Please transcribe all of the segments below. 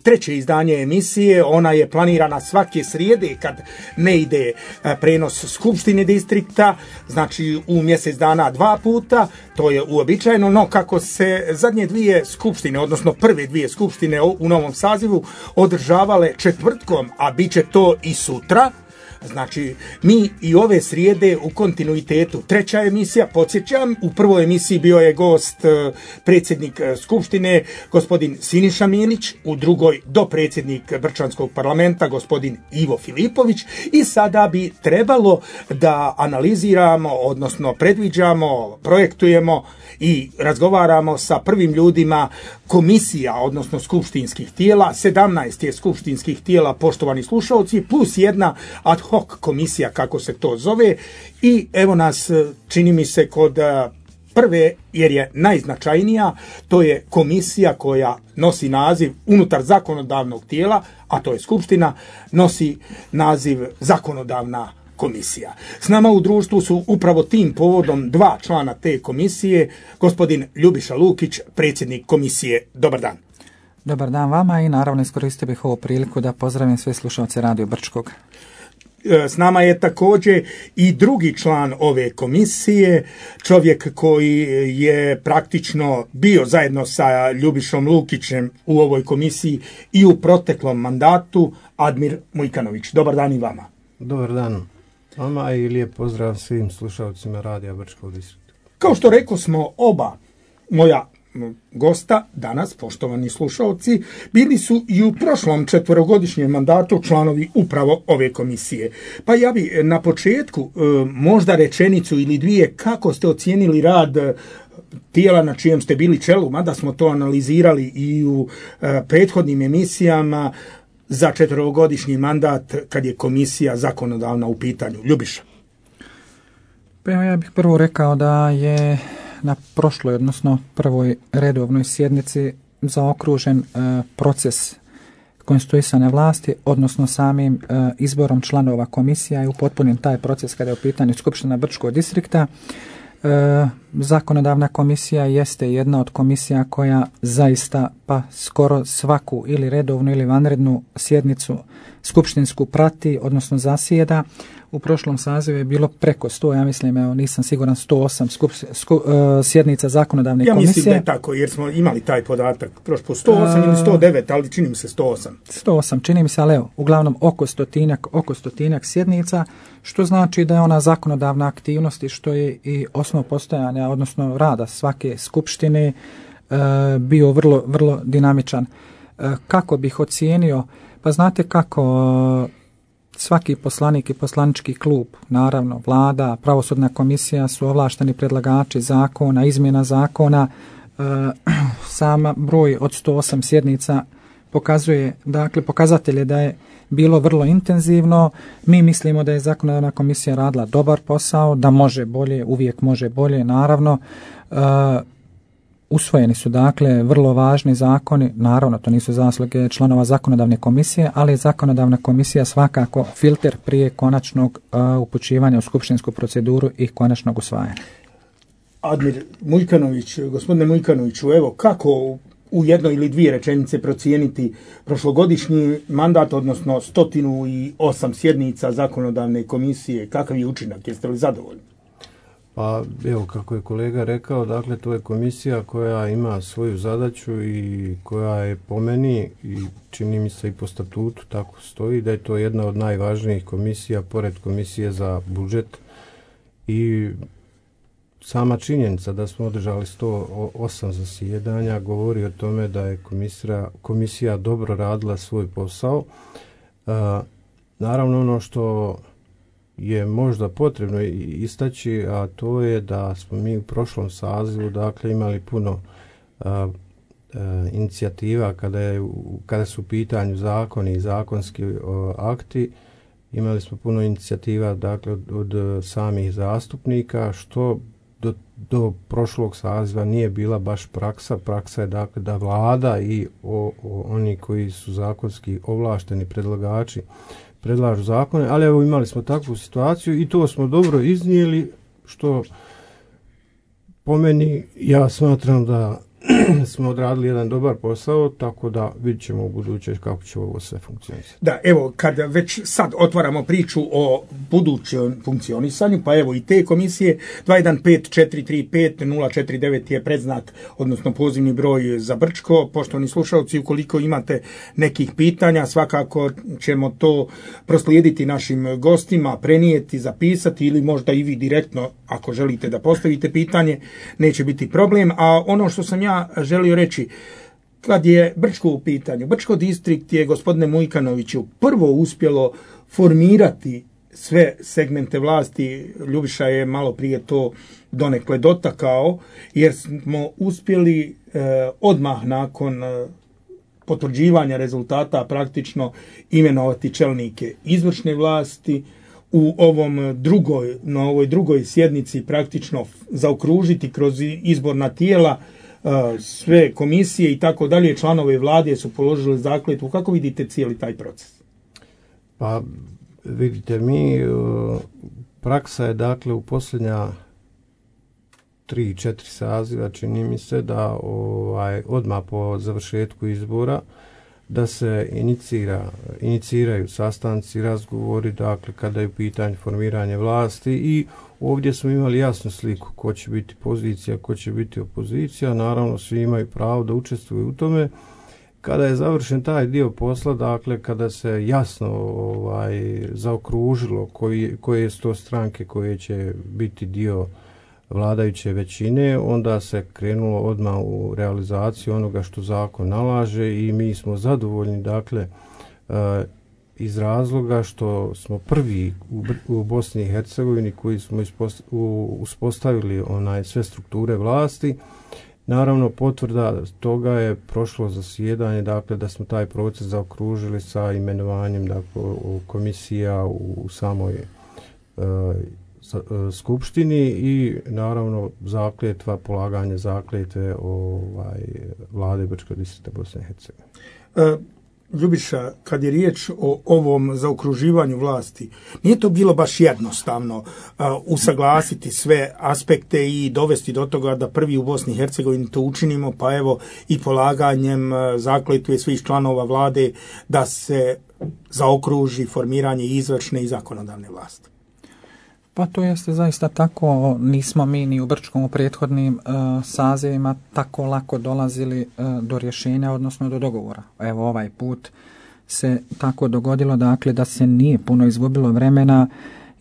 treće izdanje emisije. Ona je planirana svake srijede kad ne ide prenos Skupštine distrikta, znači u mjesec dana 2 puta, to je uobičajeno, no kako se zadnje 2 skupštine, odnosno prve 2 skupštine u novom sazivu održavale četvrtkom, a bit će to i sutra, znači mi i ove srijede u kontinuitetu. Treća emisija, podsjećam, u prvoj emisiji bio je gost predsjednik Skupštine gospodin Siniša Milić, u drugoj dopredsjednik Brčanskog parlamenta gospodin Ivo Filipović, i sada bi trebalo da analiziramo, odnosno predviđamo, projektujemo i razgovaramo sa prvim ljudima komisija, odnosno skupštinskih tijela. 17 je skupštinskih tijela, poštovani slušalci, plus jedna ad hoc komisija, kako se to zove, i evo nas, čini mi se, kod prve, jer je najznačajnija, to je komisija koja nosi naziv unutar zakonodavnog tijela, a to je Skupština, nosi naziv zakonodavna komisija. S nama u društvu su upravo tim povodom 2 člana te komisije, gospodin Ljubiša Lukić, predsjednik komisije. Dobar dan. Dobar dan vama i naravno iskoristio bih ovu priliku da pozdravim sve slušalce Radio Brčkog. S nama je također i drugi član ove komisije, čovjek koji je praktično bio zajedno sa Ljubišom Lukićem u ovoj komisiji i u proteklom mandatu, Admir Mujkanović. Dobar dan i vama. Dobar dan vama i lijep pozdrav svim slušalcima Radija Brčkog distrikta. Kao što rekao smo, oba moja gosta danas, poštovani slušalci, bili su i u prošlom 4-godišnjem mandatu članovi upravo ove komisije. Pa ja bi na početku možda rečenicu ili 2 kako ste ocijenili rad tijela na čijem ste bili čelu, mada smo to analizirali i u prethodnim emisijama, za 4-godišnji mandat kad je komisija zakonodavna u pitanju. Ljubiša. Pa ja bih prvo rekao da je na prošloj, odnosno prvoj redovnoj sjednici zaokružen proces konstituisane vlasti, odnosno samim izborom članova komisija i upotpunjen taj proces kada je u pitanju Skupština Brčkog distrikta. Zakonodavna komisija jeste jedna od komisija koja zaista pa skoro svaku ili redovnu ili vanrednu sjednicu skupštinsku prati, odnosno zasjeda. U prošlom sazivu je bilo preko 100, ja mislim, evo nisam siguran, 108 sjednica zakonodavne komisije. Ja mislim da je tako, jer smo imali taj podatak prošlo 108 ili 109, ali čini mi se 108. 108, čini mi se, ali evo, uglavnom oko stotinjak sjednica, što znači da je ona zakonodavna aktivnost i što je i osnov postojanja, odnosno rada svake skupštine bio vrlo, vrlo dinamičan. Kako bih ocijenio? Pa znate kako svaki poslanik i poslanički klub, naravno vlada, pravosudna komisija su ovlašteni predlagači zakona, izmjena zakona. Sama broj od 108 sjednica pokazuje, dakle pokazatelj je da je bilo vrlo intenzivno. Mi mislimo da je zakonodavna komisija radila dobar posao, da može bolje, uvijek može bolje, naravno. Usvojeni su dakle vrlo važni zakoni, naravno to nisu zasluge članova zakonodavne komisije, ali je zakonodavna komisija svakako filter prije konačnog upućivanja u skupštinsku proceduru i konačnog usvajanja. Admir Mujkanović, gospodine Mujkanoviću, evo kako u 1 ili 2 rečenice procijeniti prošlogodišnji mandat, odnosno 108 sjednica zakonodavne komisije, kakav je učinak, jeste li zadovoljni? Pa evo, kako je kolega rekao, dakle to je komisija koja ima svoju zadaću i koja je po meni i čini mi se i po statutu tako stoji da je to jedna od najvažnijih komisija pored komisije za budžet i sama činjenica da smo održali 108 zasjedanja govori o tome da je komisija dobro radila svoj posao. Naravno ono što je možda potrebno istaći, a to je da smo mi u prošlom sazivu dakle imali puno inicijativa kada su u pitanju zakoni i zakonski akti. Imali smo puno inicijativa dakle od samih zastupnika, što do prošlog saziva nije bila baš praksa. Praksa je dakle da vlada i oni koji su zakonski ovlašteni predlagači predlažu zakone, ali evo imali smo takvu situaciju i to smo dobro iznijeli, što po meni ja smatram da smo odradili jedan dobar posao, tako da vidjet ćemo u buduće kako će ovo sve funkcionisati. Da, evo, kad već sad otvaramo priču o budućem funkcionisanju, pa evo i te komisije, 215-435-049 je predznak, odnosno pozivni broj za Brčko. Poštovani slušalci, ukoliko imate nekih pitanja, svakako ćemo to proslijediti našim gostima, prenijeti, zapisati ili možda i vi direktno, ako želite da postavite pitanje, neće biti problem. A ono što sam ja želio reći, kad je Brčko u pitanju, Brčko distrikt je, gospodine Mujkanoviću, prvo uspjelo formirati sve segmente vlasti. Ljubiša je malo prije to donekle dotakao, jer smo uspjeli odmah nakon potvrđivanja rezultata praktično imenovati čelnike izvršne vlasti, u ovoj drugoj sjednici praktično zaokružiti kroz izborna tijela sve komisije i tako dalje. Članove vlade su položili zakletvu. Kako vidite cijeli taj proces? Pa vidite, praksa je dakle u posljednja 3-4 saziva, čini mi se, da odmah po završetku izbora da se iniciraju sastanci, razgovori, dakle kada je u pitanju formiranje vlasti, i ovdje smo imali jasnu sliku ko će biti pozicija, ko će biti opozicija. Naravno, svi imaju pravo da učestvuju u tome. Kada je završen taj dio posla, dakle kada se jasno zaokružilo koje su to stranke koje će biti dio vladajuće većine, onda se krenulo odmah u realizaciju onoga što zakon nalaže i mi smo zadovoljni, dakle, iz razloga što smo prvi u Bosni i Hercegovini koji smo uspostavili sve strukture vlasti. Naravno, potvrda toga je prošlo zasjedanje, dakle da smo taj proces zaokružili sa imenovanjem, dakle, komisija u samoj skupštini i naravno polaganje zakletve vlade Brčkog distrikta Bosne i Hercegovine. Ljubiša, kad je riječ o ovom zaokruživanju vlasti, nije to bilo baš jednostavno usaglasiti sve aspekte i dovesti do toga da prvi u Bosni i Hercegovini to učinimo, pa evo i polaganjem zakletve svih članova vlade da se zaokruži formiranje izvršne i zakonodavne vlasti. Pa to jeste zaista tako, nismo mi ni u Brčkom u prethodnim sazivima tako lako dolazili do rješenja, odnosno do dogovora. Evo ovaj put se tako dogodilo, dakle da se nije puno izgubilo vremena,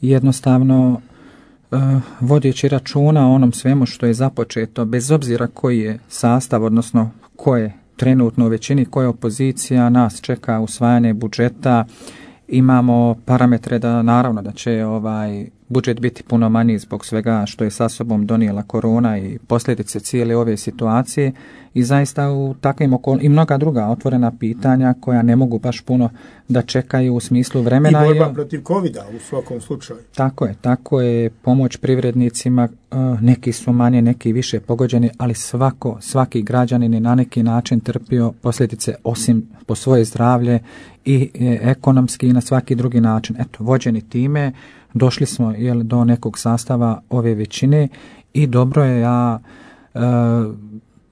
jednostavno vodeći računa o onom svemu što je započeto, bez obzira koji je sastav, odnosno ko je trenutno u većini, koja je opozicija, nas čeka usvajanje budžeta, imamo parametre da naravno da će budžet biti puno manji zbog svega što je sa sobom donijela korona i posljedice cijele ove situacije i zaista u takvim i mnoga druga otvorena pitanja koja ne mogu baš puno da čekaju u smislu vremena. I borba protiv covida u svakom slučaju. Tako je pomoć privrednicima, neki su manje, neki više pogođeni, ali svaki građanin je na neki način trpio posljedice osim po svoje zdravlje i ekonomski i na svaki drugi način. Eto, vođeni time, došli smo do nekog sastava ove većine i dobro je,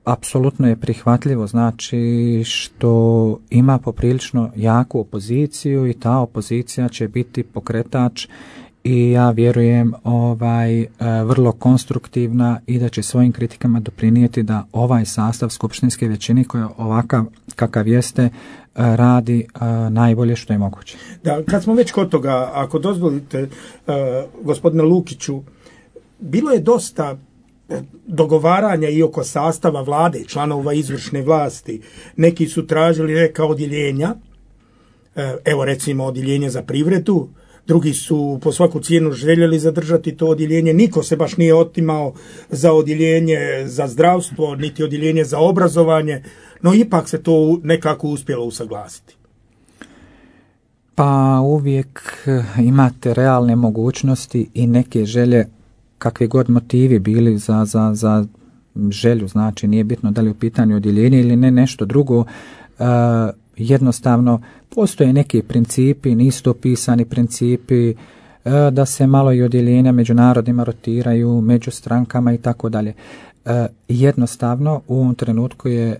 apsolutno je prihvatljivo, znači što ima poprilično jaku opoziciju i ta opozicija će biti pokretač i ja vjerujem vrlo konstruktivna i da će svojim kritikama doprinijeti da ovaj sastav skupštinske većine koja ovakav kakav jeste radi najbolje što je moguće. Da, kad smo već kod toga, ako dozvolite, gospodine Lukiću, bilo je dosta dogovaranja i oko sastava vlade, članova izvršne vlasti. Neki su tražili neka odjeljenja, evo recimo odjeljenje za privredu, drugi su po svaku cijenu željeli zadržati to odjeljenje. Niko se baš nije otimao za odjeljenje za zdravstvo, niti odjeljenje za obrazovanje, no ipak se to nekako uspjelo usaglasiti. Pa uvijek imate realne mogućnosti i neke želje, kakvi god motivi bili za želju, znači nije bitno da li u pitanju odjeljenje ili ne nešto drugo, jednostavno postoje neki principi, nisu to pisani principi, da se malo i odjeljenja među narodima rotiraju, među strankama i tako dalje. jednostavno u ovom trenutku je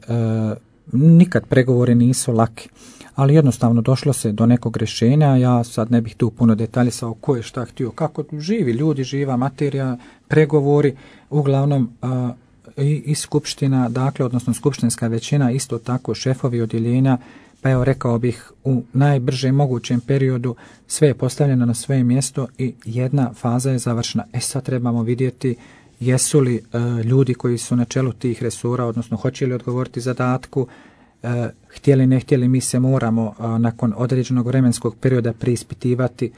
nikad pregovori nisu laki, ali jednostavno došlo se do nekog rješenja. Ja sad ne bih tu puno detaljisao ko je šta htio, kako živi ljudi, živa materija, pregovori, uglavnom i skupština, dakle, odnosno skupštinska većina, isto tako šefovi odjeljenja, pa evo rekao bih u najbržem mogućem periodu sve je postavljeno na svoje mjesto i jedna faza je završena. Sad trebamo vidjeti jesu li ljudi koji su na čelu tih resora, odnosno hoće li odgovoriti zadatku, htjeli ne htjeli, mi se moramo nakon određenog vremenskog perioda preispitivati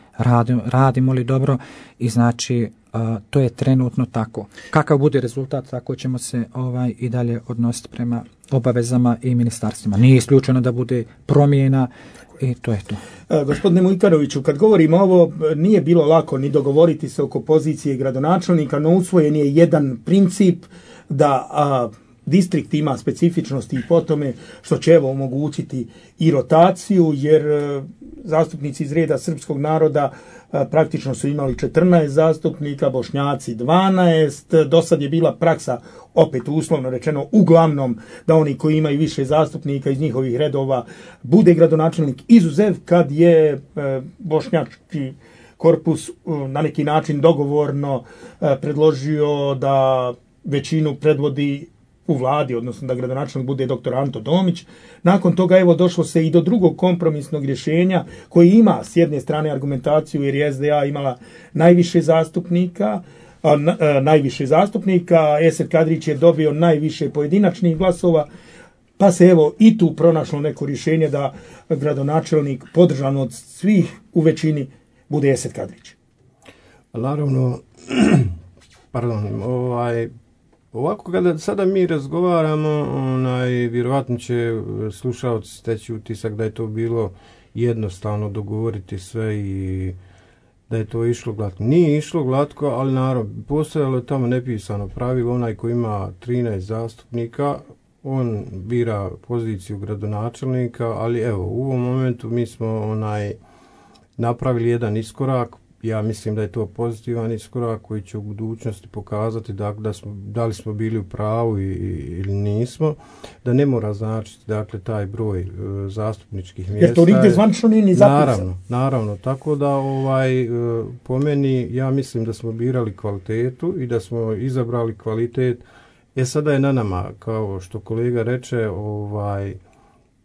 radimo li dobro i znači to je trenutno tako. Kakav bude rezultat, tako ćemo se i dalje odnositi prema obavezama i ministarstvima. Nije isključeno da bude promjena i to je to. Gospodine Mujkaroviću, kad govorimo ovo, nije bilo lako ni dogovoriti se oko pozicije gradonačelnika, no usvojen je jedan princip da distrikt ima specifičnosti i po tome što će evo omogućiti i rotaciju, jer zastupnici iz reda srpskog naroda praktično su imali 14 zastupnika, Bošnjaci 12, do sad je bila praksa, opet uslovno rečeno, uglavnom da oni koji imaju više zastupnika iz njihovih redova bude gradonačelnik, izuzev kad je bošnjački korpus na neki način dogovorno predložio da većinu predvodi u vladi, odnosno da gradonačelnik bude dr. Anto Domić. Nakon toga evo došlo se i do drugog kompromisnog rješenja koji ima s jedne strane argumentaciju jer je SDA imala najviše zastupnika, Esed Kadrić je dobio najviše pojedinačnih glasova, pa se evo i tu pronašlo neko rješenje da gradonačelnik podržan od svih u većini bude Esed Kadrić. Naravno, ovako kada sada mi razgovaramo, vjerovatno će slušalci steći utisak da je to bilo jednostavno dogovoriti sve i da je to išlo glatko. Nije išlo glatko, ali naravno, postojalo je tamo nepisano pravilo, onaj koji ima 13 zastupnika, on bira poziciju gradonačelnika, ali evo, u ovom momentu mi smo napravili jedan iskorak. Ja mislim da je to pozitivan iskorak koji će u budućnosti pokazati da li smo bili u pravu ili nismo, da ne mora značiti taj broj zastupničkih mjesta. Jer to nigdje zvanično nije ni zapisano. Naravno, tako da po meni ja mislim da smo birali kvalitetu i da smo izabrali kvalitet. Sada je na nama, kao što kolega reče,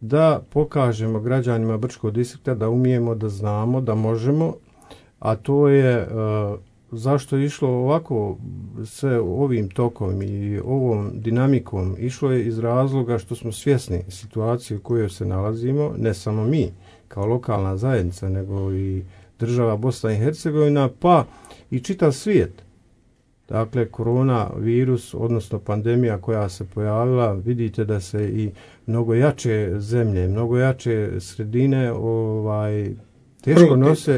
da pokažemo građanima Brčkog distrikta da umijemo, da znamo, da možemo. A to je zašto je išlo ovako sve ovim tokom i ovom dinamikom. Išlo je iz razloga što smo svjesni situacije u kojoj se nalazimo, ne samo mi kao lokalna zajednica, nego i država Bosna i Hercegovina, pa i čitav svijet. Dakle, koronavirus, odnosno pandemija koja se pojavila, vidite da se i mnogo jače zemlje, mnogo jače sredine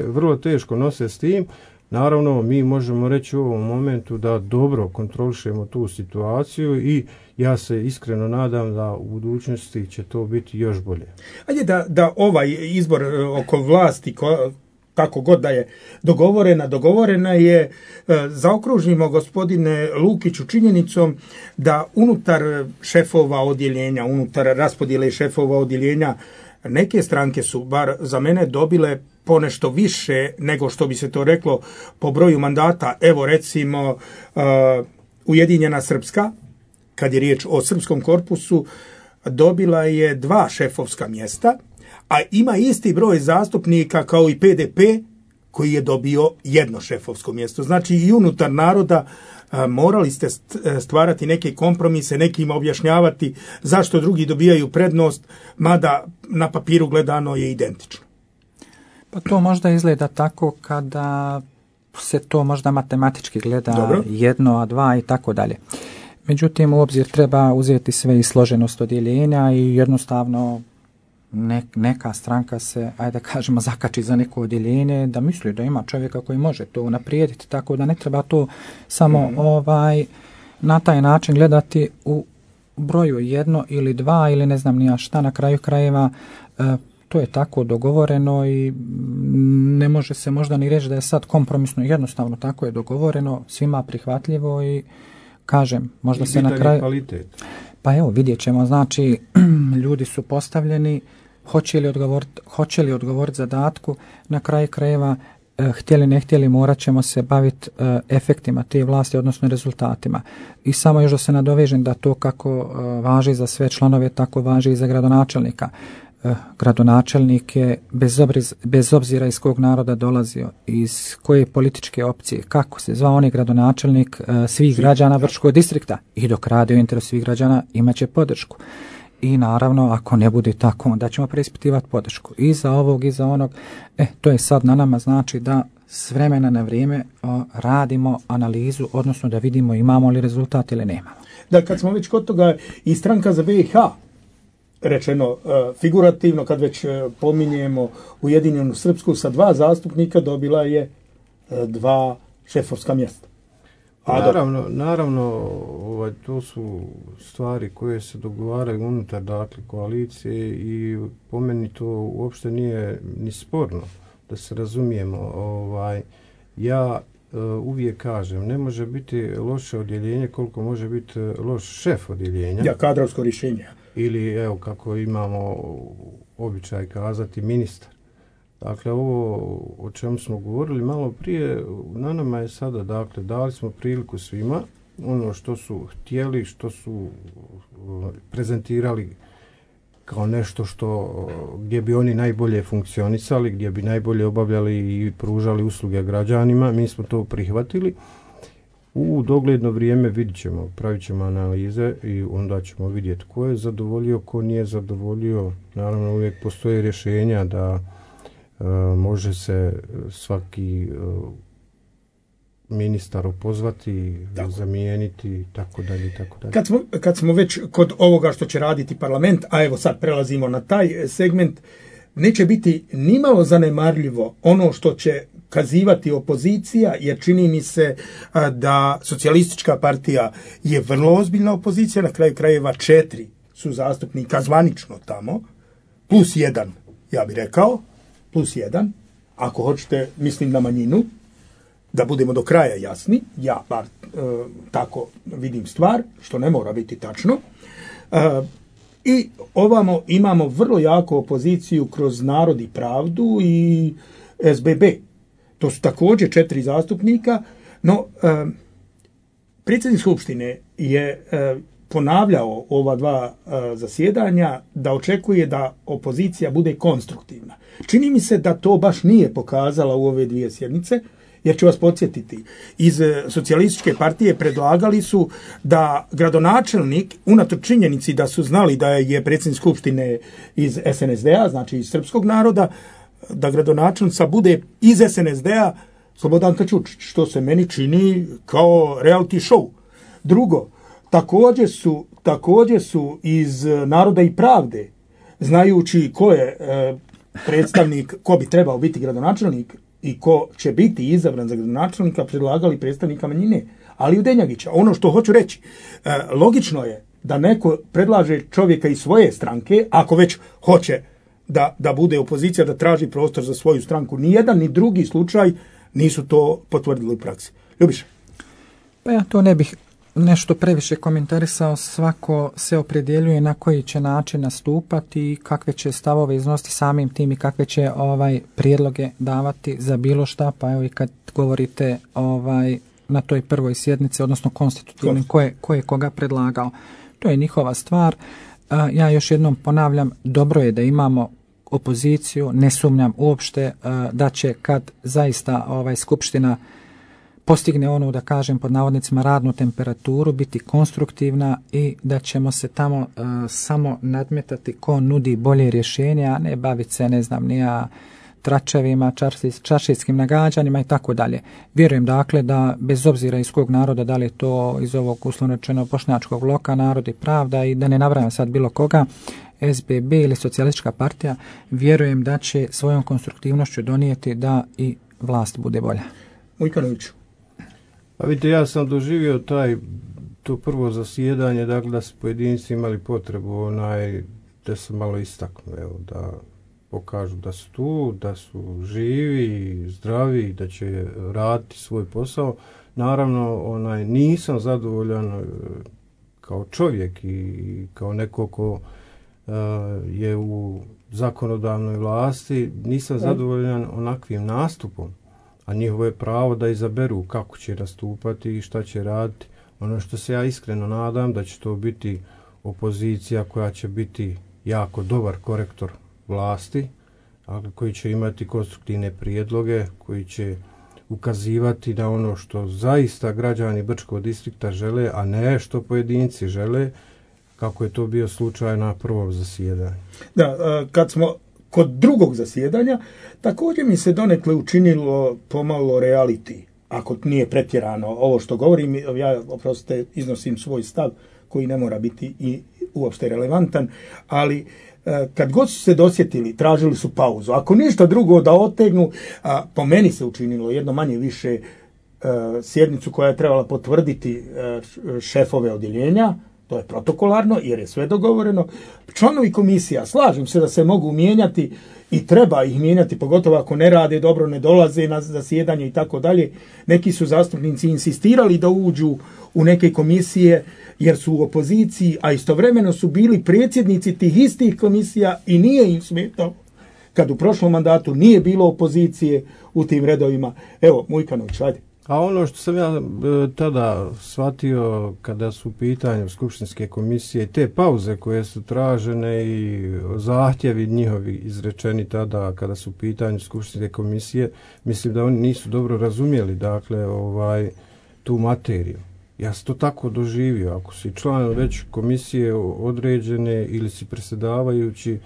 vrlo teško nose s tim. Naravno, mi možemo reći u ovom momentu da dobro kontrolišemo tu situaciju i ja se iskreno nadam da u budućnosti će to biti još bolje. Ajde da ovaj izbor oko vlasti, kako god da je dogovorena je, zaokružimo gospodine Lukiću činjenicom da unutar šefova odjeljenja, unutar raspodjele šefova odjeljenja, neke stranke su, bar za mene, dobile ponešto više nego što bi se to reklo po broju mandata. Evo recimo Ujedinjena Srpska, kad je riječ o srpskom korpusu, dobila je 2 šefovska mjesta, a ima isti broj zastupnika kao i PDP koji je dobio 1 šefovsko mjesto. Znači i unutar naroda morali ste stvarati neke kompromise, nekima objašnjavati zašto drugi dobijaju prednost, mada na papiru gledano je identično. Pa to možda izgleda tako kada se to možda matematički gleda. Dobro. 1, a 2 i tako dalje. Međutim, u obzir treba uzeti sve i složenost odjeljenja i jednostavno neka stranka se, ajde kažemo, zakači za neko odjeljenje da misli da ima čovjeka koji može to unaprijediti, tako da ne treba to samo na taj način gledati u broju 1 ili 2 ili ne znam nija šta. Na kraju krajeva to je tako dogovoreno i ne može se možda ni reći da je sad kompromisno, jednostavno tako je dogovoreno, svima prihvatljivo i kažem, možda I se na kraju... kvalitet. Pa evo, vidjet ćemo, znači, ljudi su postavljeni, hoće li odgovoriti zadatku, na kraju krajeva, htjeli ne htjeli, morat ćemo se baviti efektima te vlasti, odnosno rezultatima. I samo još da se nadovežem da to kako važi za sve članove, tako važi i za gradonačelnika. Gradonačelnik je, bez obzira iz kog naroda dolazio, iz koje političke opcije, kako se zvao, on je gradonačelnik svih građana Brčkog distrikta i dok radi u interesu svih građana imat će podršku. I naravno, ako ne bude tako, onda ćemo preispitivati podršku i za ovog i za onog. To je sad na nama, znači da s vremena na vrijeme radimo analizu, odnosno da vidimo imamo li rezultat ili nemamo. Da, kad smo već kod toga, i stranka za BiH, rečeno figurativno, kad već pominjemo Ujedinjenu Srpsku, sa 2 zastupnika dobila je 2 šefovska mjesta. Naravno, to su stvari koje se dogovaraju unutar, dakle, koalicije i po meni to uopšte nije ni sporno, da se razumijemo. Ja uvijek kažem, ne može biti loše odjeljenje koliko može biti loš šef odjeljenja. Ja, kadrovsko rješenje. Ili, evo, kako imamo običaj kazati, ministar. Dakle, ovo o čemu smo govorili malo prije, na nama je sada, dakle, dali smo priliku svima, ono što su htjeli, što su prezentirali kao nešto gdje bi oni najbolje funkcionisali, gdje bi najbolje obavljali i pružali usluge građanima, mi smo to prihvatili. U dogledno vrijeme vidit ćemo, pravit ćemo analize i onda ćemo vidjeti ko je zadovoljio, ko nije zadovoljio. Naravno, uvijek postoje rješenja da može se svaki ministar opozvati, zamijeniti, tako dalje. Kad smo već kod ovoga što će raditi parlament, a evo sad prelazimo na taj segment, neće biti nimalo zanemarljivo ono što će kazivati opozicija, jer čini mi se da Socijalistička partija je vrlo ozbiljna opozicija, na kraju krajeva 4 su zastupnika zvanično tamo, plus 1, ja bih rekao, plus 1, ako hoćete, mislim na manjinu, da budemo do kraja jasni, ja bar tako vidim stvar, što ne mora biti tačno. I ovamo imamo vrlo jaku opoziciju kroz Narod i pravdu i SBB. To su također 4 zastupnika, no predsjednik Skupštine je ponavljao ova 2 zasjedanja da očekuje da opozicija bude konstruktivna. Čini mi se da to baš nije pokazala u ove 2 sjednice, jer ću vas podsjetiti, iz Socijalističke partije predlagali su da gradonačelnik, unatoč činjenici da su znali da je predsjednik Skupštine iz SNSD-a, znači iz srpskog naroda, da gradonačelnica bude iz SNSD-a Slobodanka Ćučić, što se meni čini kao reality show. Drugo, također su iz Naroda i pravde, znajući ko je predstavnik, ko bi trebao biti gradonačelnik i ko će biti izabran za gradonačelnika, predlagali predstavnika manjine, ali Udenjagića. Ono što hoću reći, logično je da neko predlaže čovjeka iz svoje stranke, ako već hoće da bude opozicija, da traži prostor za svoju stranku. Ni jedan ni drugi slučaj nisu to potvrdili u praksi. Ljubiša? Pa ja to ne bih nešto previše komentarisao, svako se opredjeljuje na koji će način nastupati i kakve će stavove iznositi samim tim i kakve će prijedloge davati za bilo šta, pa evo i kad govorite na toj prvoj sjednici, odnosno konstitutivnim, ko je koga predlagao. To je njihova stvar. Ja još jednom ponavljam, dobro je da imamo opoziciju, ne sumnjam uopšte da će kad zaista Skupština postigne onu, da kažem pod navodnicima, radnu temperaturu, biti konstruktivna i da ćemo se tamo samo nadmetati ko nudi bolje rješenja, a ne baviti se, ne znam, nija tračevima, čaršijskim nagađanjima i tako dalje. Vjerujem dakle da bez obzira iz kog naroda, da li je to iz ovog uslovno rečeno bošnjačkog bloka, Narod i pravda i da ne nabrajam sad bilo koga, SBB ili Socijalistička partija, vjerujem da će svojom konstruktivnošću donijeti da i vlast bude bolja. Mujkanoviću. Pa vidite, ja sam doživio to prvo zasjedanje, dakle da su pojedinci imali potrebu da se malo istaknu, da pokažu da su tu, da su živi, zdravi, da će raditi svoj posao. Naravno, nisam zadovoljan kao čovjek i kao neko ko je u zakonodavnoj vlasti, nisam zadovoljan onakvim nastupom, a njihovo je pravo da izaberu kako će nastupati i šta će raditi. Ono što se ja iskreno nadam da će to biti opozicija koja će biti jako dobar korektor vlasti, koji će imati konstruktivne prijedloge, koji će ukazivati na ono što zaista građani Brčkog distrikta žele, a ne što pojedinci žele, kako je to bio slučaj na prvom zasjedanju. Da, kad smo kod drugog zasjedanja, također mi se donekle učinilo pomalo reality, ako nije pretjerano ovo što govorim, ja oprostite iznosim svoj stav koji ne mora biti i uopšte relevantan, ali kad god su se dosjetili, tražili su pauzu. Ako ništa drugo da otegnu, po meni se učinilo jedno manje više sjednicu koja je trebala potvrditi šefove odjeljenja, to je protokolarno jer je sve dogovoreno. Članovi komisija, slažem se da se mogu mijenjati i treba ih mijenjati, pogotovo ako ne rade dobro, ne dolaze na zasjedanje i tako dalje. Neki su zastupnici insistirali da uđu u neke komisije jer su u opoziciji, a istovremeno su bili predsjednici tih istih komisija i nije im smetalo kad u prošlom mandatu nije bilo opozicije u tim redovima. Evo, Mujkanović, ajde. A ono što sam ja tada shvatio kada su u pitanju skupštinske komisije, te pauze koje su tražene i zahtjevi njihovi izrečeni tada kada su u pitanju skupštinske komisije, mislim da oni nisu dobro razumjeli tu materiju. Ja sam to tako doživio. Ako si član već komisije određene ili si predsjedavajući,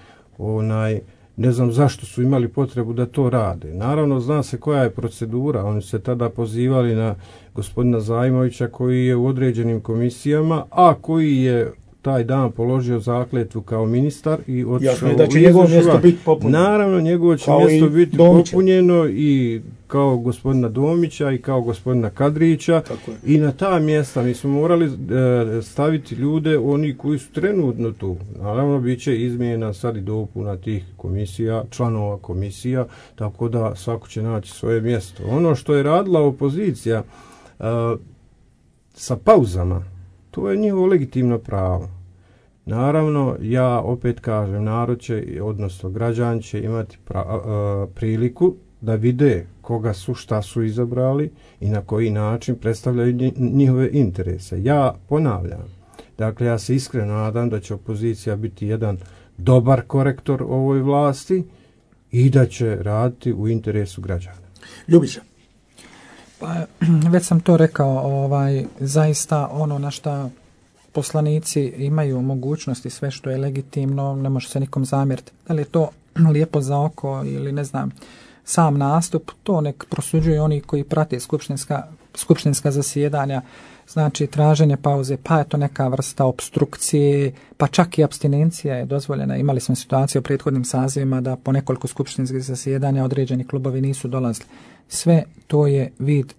ne znam zašto su imali potrebu da to rade. Naravno, zna se koja je procedura. Oni se tada pozivali na gospodina Zajmovića koji je u određenim komisijama, a koji je taj dan položio zakletvu kao ministar i otišao da će njegovo mjesto biti popunjeno. Naravno, njegovo će mjesto biti popunjeno i kao gospodina Domića i kao gospodina Kadrića. I na ta mjesta mi smo morali staviti ljude, oni koji su trenutno tu. Naravno, bit će izmjena sad i dopuna tih komisija, članova komisija, tako da svako će naći svoje mjesto. Ono što je radila opozicija sa pauzama, to je njihovo legitimno pravo. Naravno, ja opet kažem, narod će, odnosno građani će imati priliku da vide koga su, šta su izabrali i na koji način predstavljaju njihove interese. Ja ponavljam, dakle, ja se iskreno nadam da će opozicija biti jedan dobar korektor ovoj vlasti i da će raditi u interesu građana. Ljubiša. Pa, već sam to rekao, zaista ono na šta poslanici imaju mogućnosti, sve što je legitimno, ne može se nikom zamjeriti. Da li je to lijepo za oko ili ne znam, sam nastup, to nek prosuđuju oni koji prate skupštinska zasjedanja, znači traženje pauze, pa je to neka vrsta opstrukcije, pa čak i apstinencija je dozvoljena. Imali smo situaciju u prethodnim sazivima da po nekoliko skupštinskih zasjedanja određeni klubovi nisu dolazili. Sve to je vid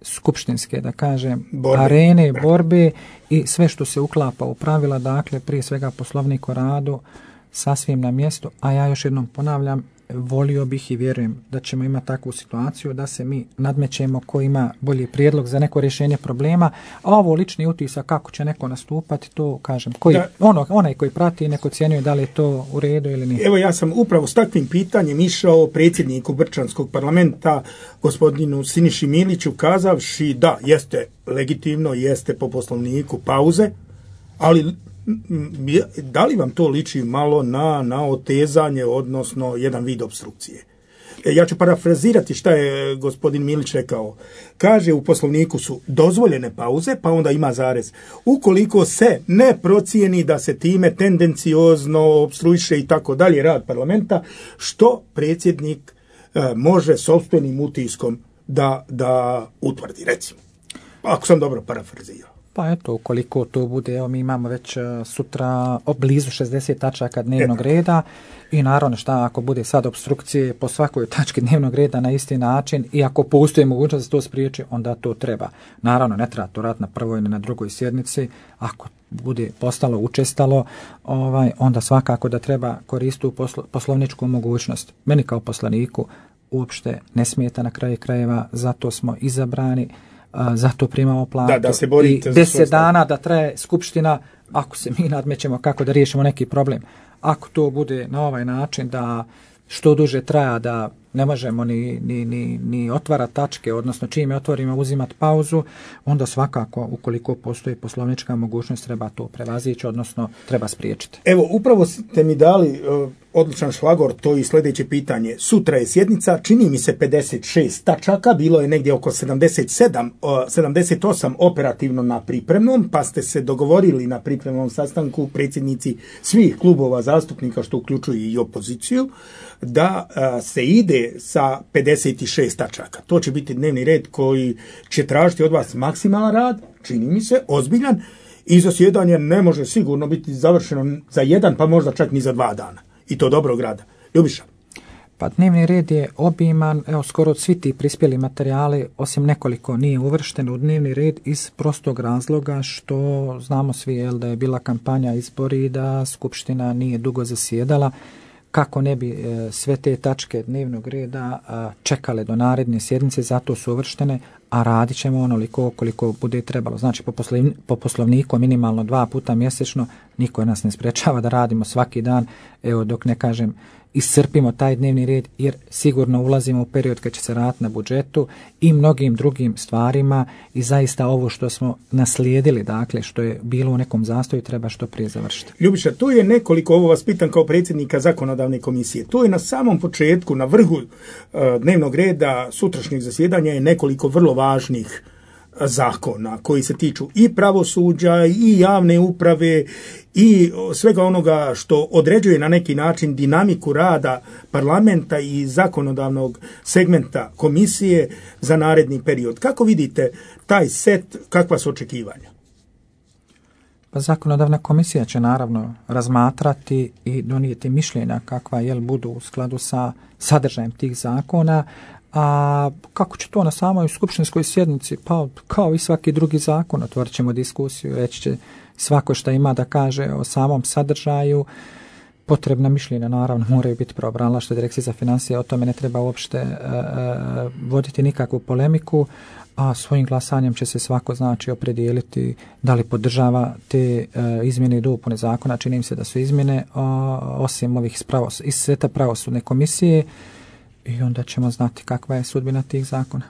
skupštinske, da kažem, arene, borbe i sve što se uklapa u pravila, dakle, prije svega Poslovnik o radu, sasvim na mjestu, a ja još jednom ponavljam, volio bih i vjerujem da ćemo imati takvu situaciju da se mi nadmećemo ko ima bolji prijedlog za neko rješenje problema, a ovo lični utisak kako će neko nastupati, to kažem, onaj koji prati neko ocjenjuje da li je to u redu ili nije. Evo, ja sam upravo s takvim pitanjem išao predsjedniku Brčanskog parlamenta, gospodinu Siniši Miliću, kazavši da jeste legitimno, jeste po Poslovniku pauze, ali da li vam to liči malo na otezanje, odnosno jedan vid opstrukcije? Ja ću parafrazirati šta je gospodin Milić rekao. Kaže, u Poslovniku su dozvoljene pauze, pa onda ima zarez. Ukoliko se ne procijeni da se time tendenciozno opstruiše i tako dalje rad parlamenta, što predsjednik može sopstvenim utiskom da utvrdi, recimo. Ako sam dobro parafrazirao. Pa eto, ukoliko to bude, evo mi imamo već sutra blizu 60 tačaka dnevnog reda i naravno šta ako bude sad opstrukcije po svakoj tački dnevnog reda na isti način i ako postoji mogućnost da se to spriječi, onda to treba. Naravno, ne treba to raditi na prvoj ni na drugoj sjednici, ako bude postalo učestalo, onda svakako da treba koristiti poslovničku mogućnost. Meni kao poslaniku uopšte ne smeta na kraju krajeva, zato smo izabrani. za to primamo platu. Da se borite i 10 dana da traje skupština, ako se mi nadmećemo kako da riješimo neki problem. Ako to bude na ovaj način da što duže traja, da ne možemo ni otvarati tačke, odnosno čim je otvorimo uzimati pauzu, onda svakako, ukoliko postoji poslovnička mogućnost, treba to prevazići, odnosno treba spriječiti. Evo, upravo ste mi dali odličan šlagor, to i sljedeće pitanje. Sutra je sjednica, čini mi se 56 tačaka, bilo je negdje oko 78 operativno na pripremnom, pa ste se dogovorili na pripremnom sastanku predsjednici svih klubova zastupnika, što uključuje i opoziciju, da se ide sa 56 tačaka. To će biti dnevni red koji će tražiti od vas maksimalan rad, čini mi se, ozbiljan, i zasjedanje ne može sigurno biti završeno za 1, pa možda čak ni za 2 dana. I to dobrog rada. Ljubiša? Pa dnevni red je obiman, evo skoro svi ti prispjeli materijali, osim nekoliko nije uvršteno u dnevni red iz prostog razloga što znamo svi da je bila kampanja izbori i da skupština nije dugo zasjedala. Kako ne bi sve te tačke dnevnog reda čekale do naredne sjednice, zato su uvrštene, a radit ćemo onoliko koliko bude trebalo. Znači po poslovniku minimalno 2 puta mjesečno, niko nas ne sprečava da radimo svaki dan, evo dok ne kažem iscrpimo taj dnevni red, jer sigurno ulazimo u period kad će se raditi na budžetu i mnogim drugim stvarima i zaista ovo što smo naslijedili, dakle što je bilo u nekom zastoju, treba što prije završiti. Ljubiša, tu je nekoliko, ovo vas pitam kao predsjednika zakonodavne komisije, tu je na samom početku, na vrhu dnevnog reda sutrašnjeg zasjedanja je nekoliko vrlo važnih zakona koji se tiču i pravosuđa i javne uprave i svega onoga što određuje na neki način dinamiku rada parlamenta i zakonodavnog segmenta komisije za naredni period. Kako vidite taj set, kakva su očekivanja? Pa zakonodavna komisija će naravno razmatrati i donijeti mišljenja kakva budu u skladu sa sadržajem tih zakona. A kako će to na samoj skupštinskoj sjednici? Pa kao i svaki drugi zakon, otvorit ćemo diskusiju, reći će svako što ima da kaže o samom sadržaju. Potrebna mišljenja naravno moraju biti pravobranilaštvo Direkcije za financije, o tome ne treba uopšte voditi nikakvu polemiku, a svojim glasanjem će se svako opredijeliti da li podržava te izmjene i dopune zakona. Čini mi se da su izmjene osim ovih iz sveta pravosudne komisije, i onda ćemo znati kakva je sudbina tih zakona.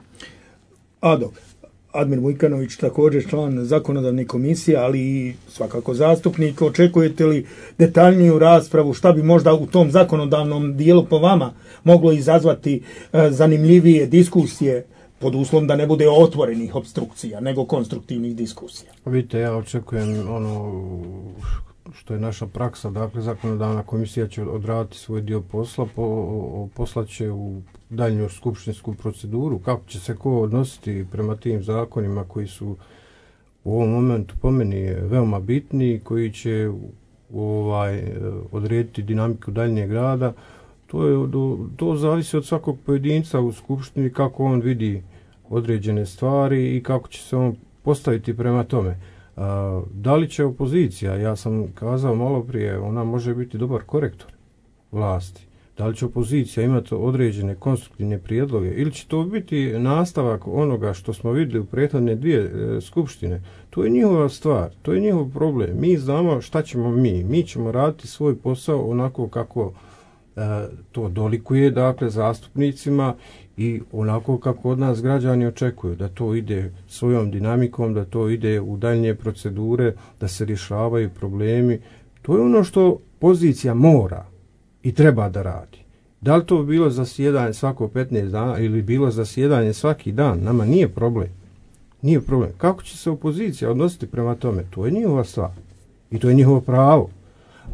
Admir Vujkanović, također član zakonodavne komisije, ali i svakako zastupnik. Očekujete li detaljniju raspravu? Šta bi možda u tom zakonodavnom dijelu po vama moglo izazvati zanimljivije diskusije, pod uslovom da ne bude otvorenih opstrukcija, nego konstruktivnih diskusija? Vidite, ja očekujem što je naša praksa, dakle zakonodavna komisija će odraditi svoj dio posla, poslat će u daljnju skupštinsku proceduru, kako će se ko odnositi prema tim zakonima koji su u ovom momentu po meni veoma bitni, koji će odrediti dinamiku daljnjeg rada. To zavisi od svakog pojedinca u skupštini, kako on vidi određene stvari i kako će se on postaviti prema tome. Da li će opozicija, ja sam kazao malo prije, ona može biti dobar korektor vlasti. Da li će opozicija imati određene konstruktivne prijedloge ili će to biti nastavak onoga što smo vidjeli u prethodne 2 skupštine? To je njihova stvar, to je njihov problem. Mi znamo šta ćemo mi ćemo raditi svoj posao onako kako to dolikuje, dakle, zastupnicima i onako kako od nas građani očekuju, da to ide svojom dinamikom, da to ide u daljnje procedure, da se rješavaju problemi. To je ono što pozicija mora i treba da radi. Da li to bilo zasjedanje svako 15 dana ili bilo zasjedanje svaki dan, nama nije problem. Nije problem. Kako će se opozicija odnositi prema tome? To je njihova stvar i to je njihovo pravo.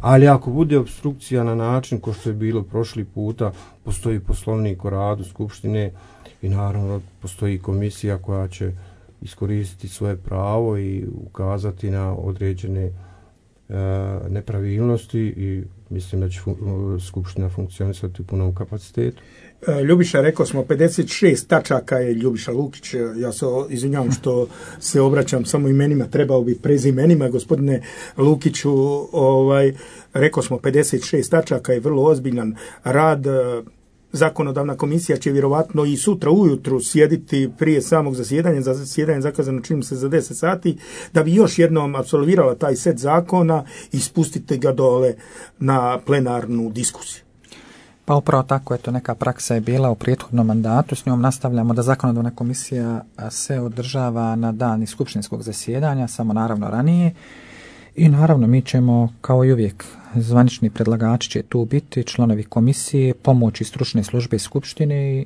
Ali ako bude opstrukcija na način ko što je bilo prošli puta, postoji poslovnik o radu skupštine i naravno postoji komisija koja će iskoristiti svoje pravo i ukazati na određene nepravilnosti i mislim da će skupština funkcionisati u punom kapacitetu. Ljubiša, rekao smo 56 tačaka je Ljubiša Lukić, ja se izvinjavam što se obraćam samo imenima, trebao bi prezimenima, gospodine Lukiću, rekao smo 56 tačaka je vrlo ozbiljan rad, zakonodavna komisija će vjerovatno i sutra ujutru sjediti prije samog zasjedanja, za zasjedanje zakazano čini se za 10 sati, da bi još jednom apsolvirala taj set zakona i spustite ga dole na plenarnu diskusiju. Pa upravo tako, eto, neka praksa je bila u prethodnom mandatu, s njom nastavljamo da zakonodavna komisija se održava na dan skupštinskog zasjedanja, samo naravno ranije. I naravno mi ćemo, kao i uvijek, zvanični predlagači će tu biti, članovi komisije, pomoći stručne službe skupštine i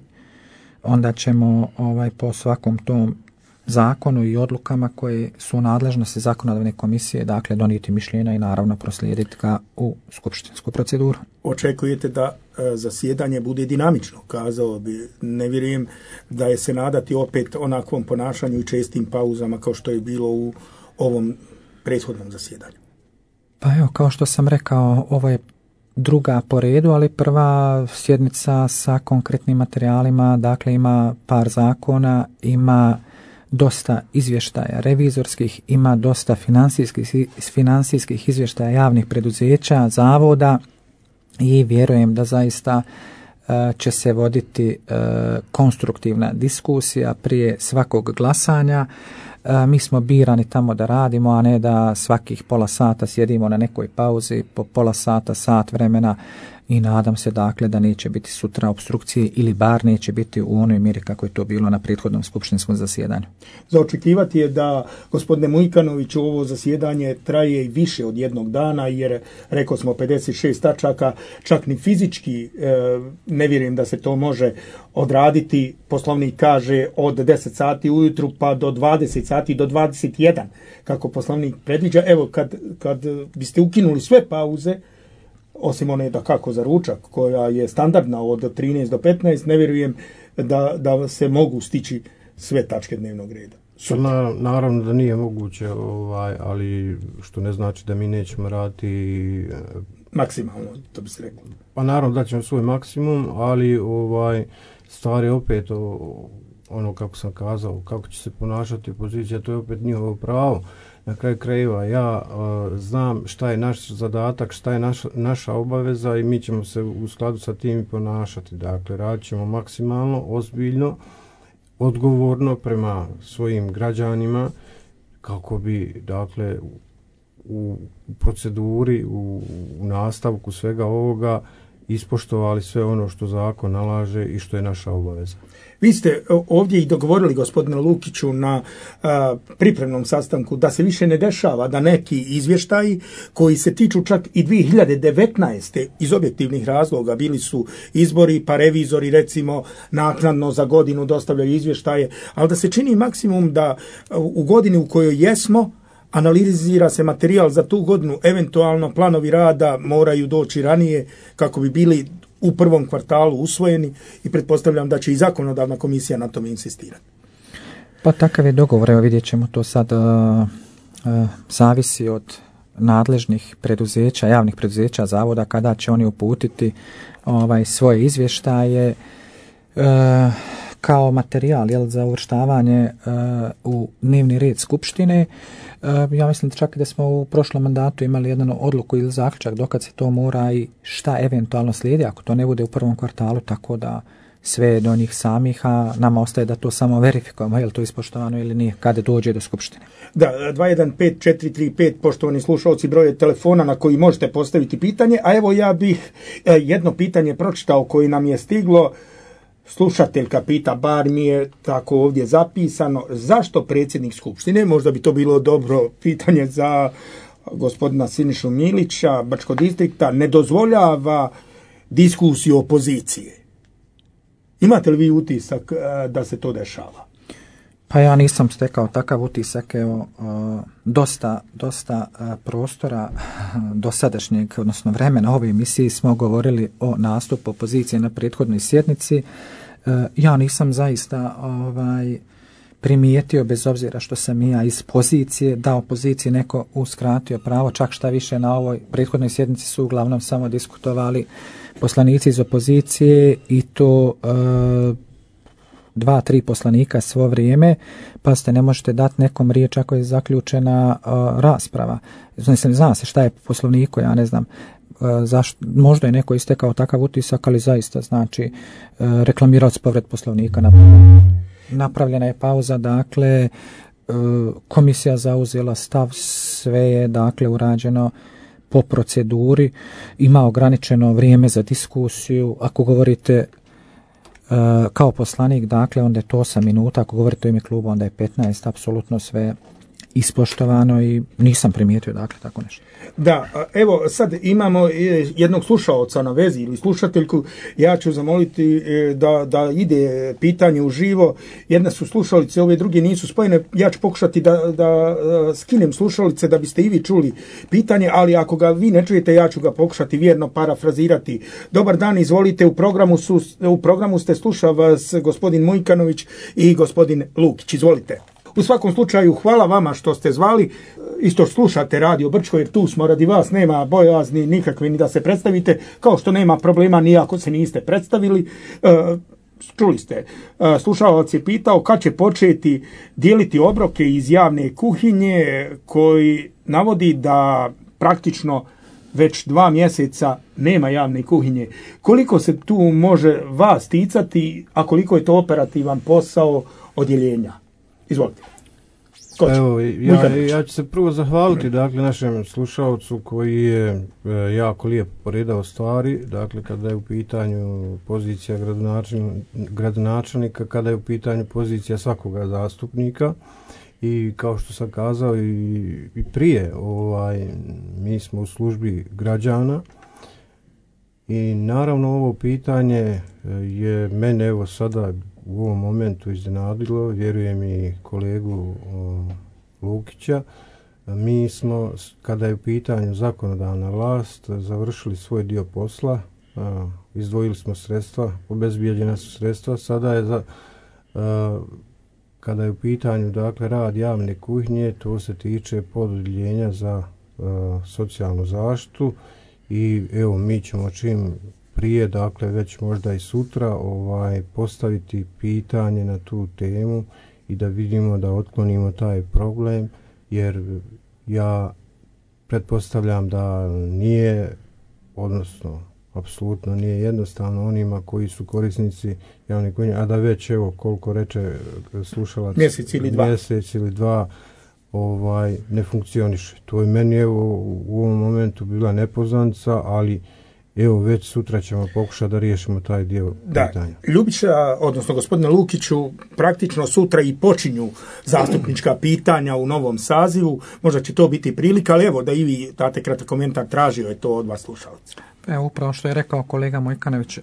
onda ćemo po svakom tom zakonu i odlukama koje su u nadležnosti zakonodavne komisije, dakle donijeti mišljenja i naravno proslijediti ga u skupštinsku proceduru. Očekujete da zasjedanje bude dinamično, kazao bi, ne vjerujem da je se nadati opet onakvom ponašanju i čestim pauzama kao što je bilo u ovom prethodnom zasjedanju. Pa evo, kao što sam rekao, ovo je druga po redu, ali prva sjednica sa konkretnim materijalima, dakle ima par zakona, ima dosta izvještaja revizorskih, ima dosta financijskih izvještaja javnih preduzeća, zavoda i vjerujem da zaista će se voditi konstruktivna diskusija prije svakog glasanja. Mi smo birani tamo da radimo, a ne da svakih pola sata sjedimo na nekoj pauzi, po pola sata, sat vremena i nadam se dakle da neće biti sutra opstrukcije ili bar neće biti u onoj mjeri kako je to bilo na prethodnom skupštinskom zasjedanju. Za očekivati je da, gospodine Mujkanoviću, ovo zasjedanje traje i više od jednog dana, jer rekao smo 56 tačaka, čak ni fizički ne vjerujem da se to može odraditi. Poslovnik kaže od 10 sati ujutru pa do 20 sati do 21, kako poslovnik predviđa. Evo, kad biste ukinuli sve pauze, osim one da kako za ručak koja je standardna od 13 do 15, ne vjerujem da se mogu stići sve tačke dnevnog reda. Naravno da nije moguće, ali što ne znači da mi nećemo raditi maksimalno, to bi se reklo. Pa naravno da ćemo svoj maksimum, ali stvar je opet ono kako sam kazao, kako će se ponašati opozicija, to je opet njihovo pravo. Na kraju krajeva ja znam šta je naš zadatak, šta je naša obaveza i mi ćemo se u skladu sa tim ponašati. Dakle, radit ćemo maksimalno, ozbiljno, odgovorno prema svojim građanima kako bi, dakle, u proceduri, u nastavku svega ovoga ispoštovali sve ono što zakon nalaže i što je naša obaveza. Vi ste ovdje i dogovorili, gospodine Lukiću, na pripremnom sastanku da se više ne dešava da neki izvještaji koji se tiču čak i 2019. iz objektivnih razloga, bili su izbori pa revizori recimo naknadno za godinu dostavljaju izvještaje, ali da se čini maksimum da u godini u kojoj jesmo analizira se materijal za tu godinu, eventualno planovi rada moraju doći ranije kako bi bili u prvom kvartalu usvojeni i pretpostavljam da će i zakonodavna komisija na tome insistirati. Pa takav je dogovor, evo vidjet ćemo to sad, zavisi od nadležnih preduzeća, javnih preduzeća, zavoda, kada će oni uputiti svoje izvještaje kao materijal za uvrštavanje u dnevni red skupštine. Ja mislim čak da smo u prošlom mandatu imali jednu odluku ili zaključak dokad se to mora i šta eventualno slijedi ako to ne bude u prvom kvartalu, tako da sve do njih samih, a nama ostaje da to samo verifikujemo, je li to ispoštovano ili nije, kada dođe do skupštine. Da, 215435, poštovani slušalci, broj je telefona na koji možete postaviti pitanje, a evo ja bih jedno pitanje pročitao koje nam je stiglo. Slušateljka pita, bar mi je tako ovdje zapisano, zašto predsjednik skupštine, možda bi to bilo dobro pitanje za gospodina Sinišu Milića, Bačkog distrikta, ne dozvoljava diskusiju opozicije. Imate li vi utisak da se to dešava? Pa ja nisam stekao takav utisak, evo, dosta prostora dosadašnjeg, odnosno vremena ove emisije smo govorili o nastupu opozicije na prethodnoj sjednici. Ja nisam zaista primijetio, bez obzira što sam i ja iz pozicije, da opoziciji neko uskratio pravo, čak šta više na ovoj prethodnoj sjednici su uglavnom samo diskutovali poslanici iz opozicije i to 2-3 poslanika svo vrijeme, pa ste ne možete dati nekom riječ ako je zaključena rasprava. Zna se šta je po poslovniku, ja ne znam. možda je neko istekao takav utisak, ali zaista znači reklamirao se povred Poslovnika. Napravljena je pauza, dakle komisija zauzela stav, sve je dakle urađeno po proceduri, ima ograničeno vrijeme za diskusiju. Ako govorite kao poslanik, dakle onda je to 8 minuta, ako govorite u ime kluba onda je 15, apsolutno sve ispoštovano i nisam primijetio dakle tako nešto. Da, evo sad imamo jednog slušaoca na vezi ili slušateljku, ja ću zamoliti da ide pitanje uživo, jedna su slušalice, ove druge nisu spojene, ja ću pokušati da skinem slušalice da biste i vi čuli pitanje, ali ako ga vi ne čujete, ja ću ga pokušati vjerno parafrazirati. Dobar dan, izvolite, u programu ste, sluša vas gospodin Mujkanović i gospodin Lukić, izvolite. U svakom slučaju, hvala vama što ste zvali, isto slušate Radio Brčko, jer tu smo radi vas, nema bojazni nikakve ni da se predstavite, kao što nema problema ni ako se niste predstavili. Čuli ste, slušalac je pitao kad će početi dijeliti obroke iz javne kuhinje, koji navodi da praktično već 2 mjeseca nema javne kuhinje. Koliko se tu može vas ticati, a koliko je to operativan posao odjeljenja? Izvolite. Evo, ja ću se prvo zahvaliti dakle našem slušalcu koji je jako lijepo poredao stvari, dakle kada je u pitanju pozicija gradonačelnika, kada je u pitanju pozicija svakoga zastupnika, i kao što sam kazao i prije, mi smo u službi građana i naravno ovo pitanje je mene evo sada u ovom momentu iznenadilo, vjerujem i kolegu Lukića. Mi smo, kada je u pitanju zakonodavna vlast, završili svoj dio posla, izdvojili smo sredstva, obezbijeđena su sredstva, sada je kada je u pitanju dakle rad javne kuhinje, to se tiče pododjeljenja za socijalnu zaštitu i evo mi ćemo čim prije, dakle već možda i sutra postaviti pitanje na tu temu i da vidimo da otklonimo taj problem, jer ja pretpostavljam da nije, odnosno apsolutno nije jednostavno onima koji su korisnici javne kuhinje, a da već evo koliko reče slušalac, mjesec ili dva ne funkcioniše. To je meni evo u ovom momentu bila nepoznanica, ali evo već sutra ćemo pokušati da riješimo taj dio pitanja. Ljubića, odnosno gospodine Lukiću, praktično sutra i počinju zastupnička pitanja u novom sazivu. Možda će to biti prilika, ali evo da i vi date kratak komentar, tražio je to od vas slušalci. Evo upravo što je rekao kolega Mojkanović,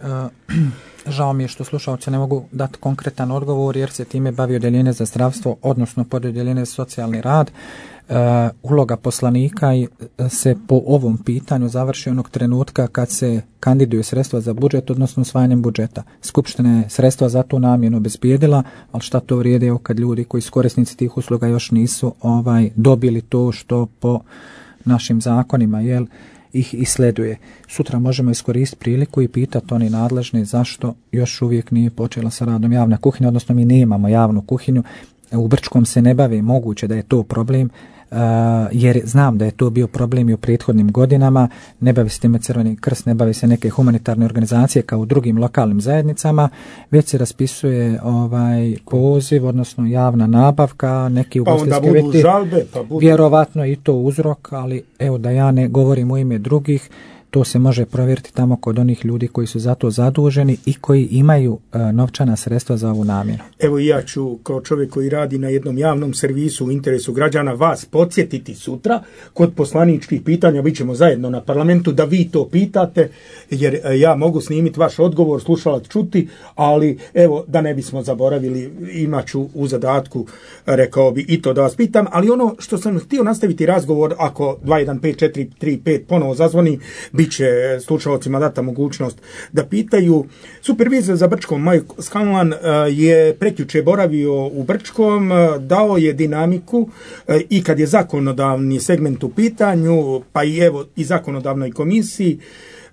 žao mi je što slušalci ne mogu dati konkretan odgovor jer se time bavi odjeljenje za zdravstvo, odnosno pododjeljenje za socijalni rad. Uloga poslanika se po ovom pitanju završi onog trenutka kad se kandiduju sredstva za budžet, odnosno usvajanjem budžeta. Skupština je sredstva za tu namjenu obezbijedila, ali šta to vrijedi kad ljudi koji su korisnici tih usluga još nisu dobili to što po našim zakonima ih isleduje. Sutra možemo iskoristiti priliku i pitati oni nadležni zašto još uvijek nije počela sa radom javna kuhinja, odnosno mi nemamo javnu kuhinju. U Brčkom se ne bavi, moguće da je to problem, jer znam da je to bio problem i u prethodnim godinama, ne bavi se time Crveni krst, ne bavi se neke humanitarne organizacije kao u drugim lokalnim zajednicama, već se raspisuje poziv, odnosno javna nabavka, neki ugostiteljski objekti, vjerovatno i to uzrok, ali evo da ja ne govorim u ime drugih, to se može provjeriti tamo kod onih ljudi koji su za to zaduženi i koji imaju novčana sredstva za ovu namjenu. Evo i ja ću kao čovjek koji radi na jednom javnom servisu u interesu građana vas podsjetiti sutra kod poslaničkih pitanja, bit ćemo zajedno na parlamentu da vi to pitate, jer ja mogu snimiti vaš odgovor, slušalac čuti, ali evo da ne bismo zaboravili, imat ću u zadatku, rekao bi i to da vas pitam, ali ono što sam htio nastaviti razgovor, ako 215-435 ponovo zazvoni, bit će slušalcima data mogućnost da pitaju. Supervizor za Brčkom Majko Skanlan je prekjuče boravio u Brčkom, dao je dinamiku i kad je zakonodavni segment u pitanju, pa i evo i zakonodavnoj komisiji,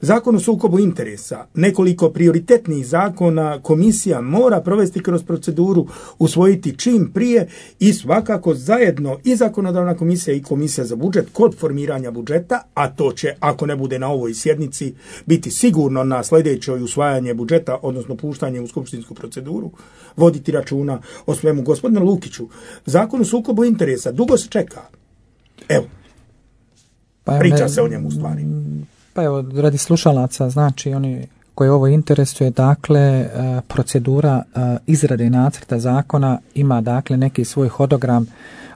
Zakon o sukobu interesa, nekoliko prioritetnih zakona komisija mora provesti kroz proceduru, usvojiti čim prije i svakako zajedno i zakonodavna komisija i komisija za budžet kod formiranja budžeta, a to će, ako ne bude na ovoj sjednici, biti sigurno na sljedećoj usvajanje budžeta, odnosno puštanje u skupštinsku proceduru, voditi računa o svemu. Gospodine Lukiću, Zakon o sukobu interesa dugo se čeka. Evo, priča se o njemu u stvari. Pa evo, radi slušalaca, znači oni koji ovo interesuje, dakle, procedura izrade nacrta zakona ima, dakle, neki svoj hodogram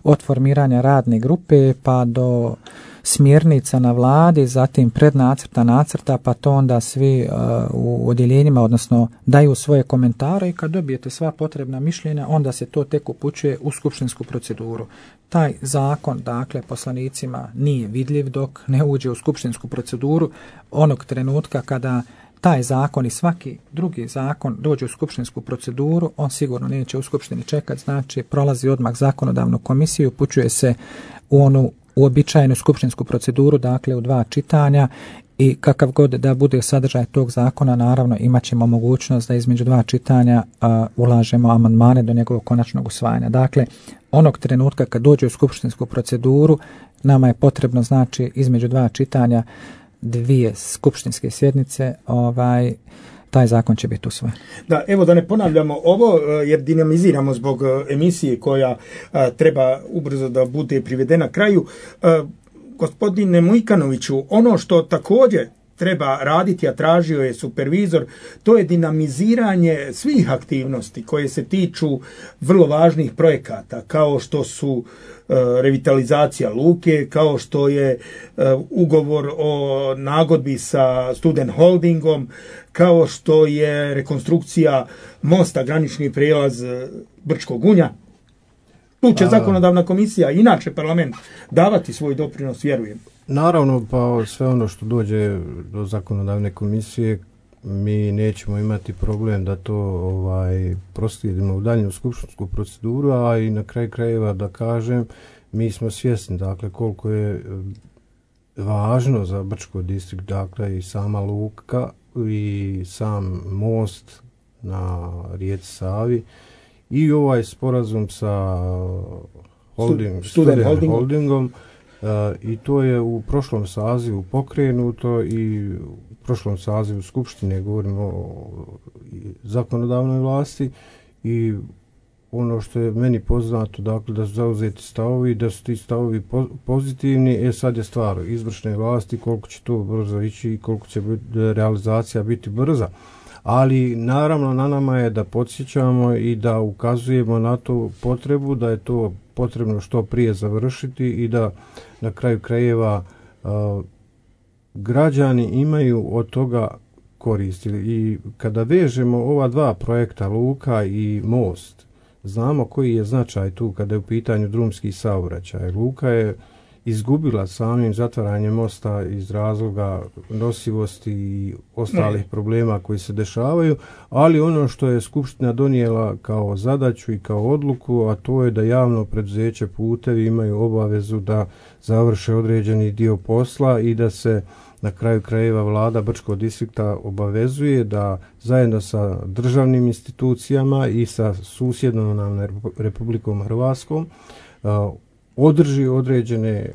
od formiranja radne grupe pa do smjernica na vladi, zatim prednacrta, nacrta, pa to onda svi u odjeljenjima, odnosno daju svoje komentare i kad dobijete sva potrebna mišljenja, onda se to tek upućuje u skupštinsku proceduru. Taj zakon, dakle, poslanicima nije vidljiv dok ne uđe u skupštinsku proceduru. Onog trenutka kada taj zakon i svaki drugi zakon dođe u skupštinsku proceduru, on sigurno neće u skupštini čekati, znači prolazi odmah zakonodavnu komisiju, upućuje se u onu uobičajenu skupštinsku proceduru, dakle u 2 čitanja, i kakav god da bude sadržaj tog zakona, naravno imat ćemo mogućnost da između 2 čitanja ulažemo amandmane do njegovog konačnog usvajanja. Dakle, onog trenutka kad dođe u skupštinsku proceduru, nama je potrebno, znači, između 2 čitanja 2 skupštinske sjednice, taj zakon će biti usvojen. Da, evo da ne ponavljamo ovo, jer dinamiziramo zbog emisije koja treba ubrzo da bude privedena kraju. Gospodine Mujkanoviću, ono što također treba raditi, a tražio je supervizor, to je dinamiziranje svih aktivnosti koje se tiču vrlo važnih projekata, kao što su revitalizacija luke, kao što je ugovor o nagodbi sa Student Holdingom, kao što je rekonstrukcija mosta, granični prijelaz Brčkog Gunja. Tu će zakonodavna komisija, inače parlament, davati svoj doprinos, vjerujem. Naravno, pa sve ono što dođe do zakonodavne komisije, mi nećemo imati problem da to proslijedimo u daljnju skupštinsku proceduru, a i na kraju krajeva da kažem, mi smo svjesni, dakle, koliko je važno za Brčko distrikt, dakle, i sama luka i sam most na rijeci Savi i ovaj sporazum sa Student Holdingom. I to je u prošlom sazivu pokrenuto i u prošlom sazivu Skupštine, govorimo o zakonodavnoj vlasti, i ono što je meni poznato, dakle, da su zauzeti stavovi, da su ti stavovi pozitivni. Sad je stvar izvršne vlasti koliko će to brzo ići i koliko će realizacija biti brza. Ali naravno na nama je da podsjećamo i da ukazujemo na tu potrebu, da je to potrebno što prije završiti i da na kraju krajeva građani imaju od toga koristi. I kada vežemo ova 2 projekta, luka i most, znamo koji je značaj tu kada je u pitanju drumski saobraćaj. Luka je izgubila samim zatvaranjem mosta iz razloga nosivosti i ostalih problema koji se dešavaju, ali ono što je Skupština donijela kao zadaću i kao odluku, a to je da javno preduzeće Putevi imaju obavezu da završe određeni dio posla i da se na kraju krajeva vlada Brčkog distrikta obavezuje da zajedno sa državnim institucijama i sa susjednom nam Republikom Hrvatskom održi određene